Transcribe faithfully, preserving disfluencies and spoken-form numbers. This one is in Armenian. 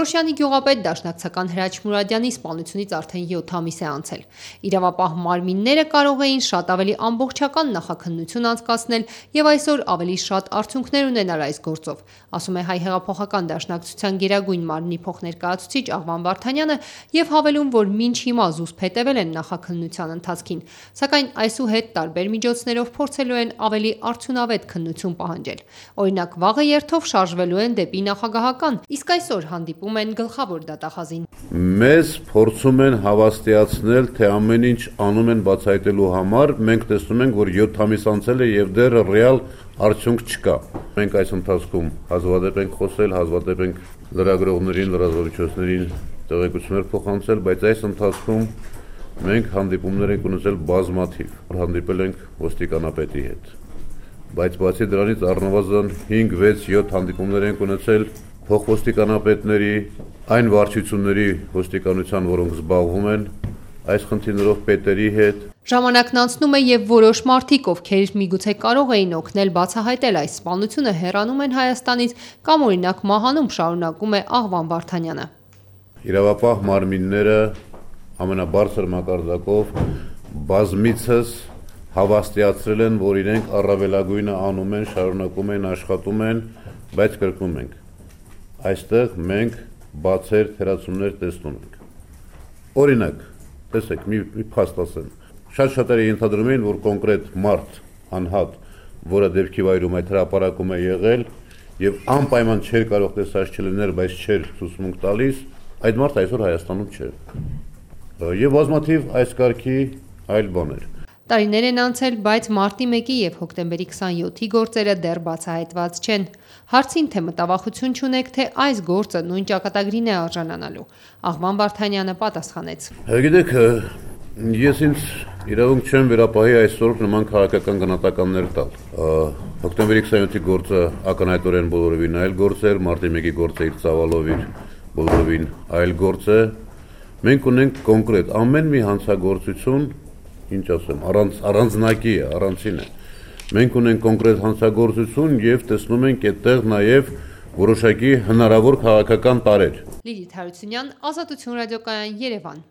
Որոշյանի գյուղապետ դաշնակցական Հրաչ Մուրադյանի սպանությունից արդեն յոթ ամիս է անցել։ Իրավապահ մարմինները կարող էին շատ ավելի ամբողջական նախաքննություն անցկացնել և այսօր ավելի շատ արդյունքներ ունենալ այս գործով, ասում է Հայ հեղափոխական դաշնակցության Գերագույն մարմնի փոխներկայացուցիչ Աղվան Վարդանյանը և հավելում, որ մինչ հիմա զուսպ հետևել են նախաքննության ընթացքին, սակայն այսուհետ տարբեր միջոցներով փորձելու են ավելի արդյունավետ քննություն պահանջել։ Օրինակ, վաղը երթով շարժվելու են դեպի նախագահական, իսկ այսօր հանդիպում են գլխավոր դատախազին։ Մեզ փորձում են հավաստիացնել, թե ամեն ինչ անում են բացահայտելու համար, մենք տեսնում ենք, որ յոթ ամիս անցել է և դեռ ռեալ արդյունք չկա։ Մենք այս ընթացքում հազվադեպ ենք խոսել, հազվադեպ ենք լրագրողներին, լրատվամիջոցներին տեղեկություններ փոխանցել, բայց այս ընթացքում մենք հանդիպումներ ենք ունեցել բազմաթիվ, հանդիպել ենք ոստիկանապետի հետ, բայց բացի դրանից առնվազն հինգ, վեց, յոթ հանդիպումներ ենք ունեցել փոխոստիկանապետների, այն վարչությունների ոստիկանության, որոնք զբաղվում են այս խնդիրներով պետերի հետ։ Ժամանակն անցնում է և որոշ մարդիկ, ովքեր միգուցե կարող էին օգնել բացահայտել այս սպանությունը, հեռանում են Հայաստանից կամ օրինակ մահանում, շարունակում է Աղվան Վարդանյանը։ Իրավապահ մարմինները ամենաբարձր մակարդակով բազմիցս հավաստիացրել են, որ իրենք առավելագույնը անում են, շարունակում են, աշխատում են, բայց կրկնում ենք, այստեղ մենք բացեր, թերացումներ տեսնում ենք։ Օրինակ, տեսեք, մի, մի փաստ ասեմ, շատ շատերը ենթադրում էին, որ կոնկրետ մարդ, անհատ, որը դեպքի վայրում այդ հրապարակում է եղել և անպայման չէր կարող տեսած չլիներ, բայց չէր ցուցմունք տալիս, այդ մարդը այսօր Հայաստանում չէ։ Եվ բազմաթիվ այս կարգի այլ բաներ։ Տարիներ են անցել, բայց մարտի մեկի և հոկտեմբերի քսանյոթի գործերը դեռ բացահայտված չեն։ Հարցին, թե մտավախություն չունեք, թե այս գործը նույն ճակատագրին է արժանանալու, Աղվան Վարդանյանը պատասխանեց։ Գիտեք, ես ինձ իրավունք չեմ վերապահի այսօր նման քաղաքական գնահատականներ տալ։ Հոկտեմբերի քսանյոթի գործը ակնհայտորեն բոլորովին այլ գործ էր, մարտի մեկի գործը իր ծավալով իր բոլորովին այլ գործ է։ Մենք ունենք կոնկրետ ամեն մի հանցագործություն, ինչ ասեմ, առանց առանձնակի է, առանցին է։ Մենք ունենք կոնկրետ հանցագործություն և տեսնում ենք այդտեղ նաև որոշակի հնարավոր քաղաքական տարրեր։ Լիլիթ Հարությունյան, Ազատություն ռադիոկայան, Երևան։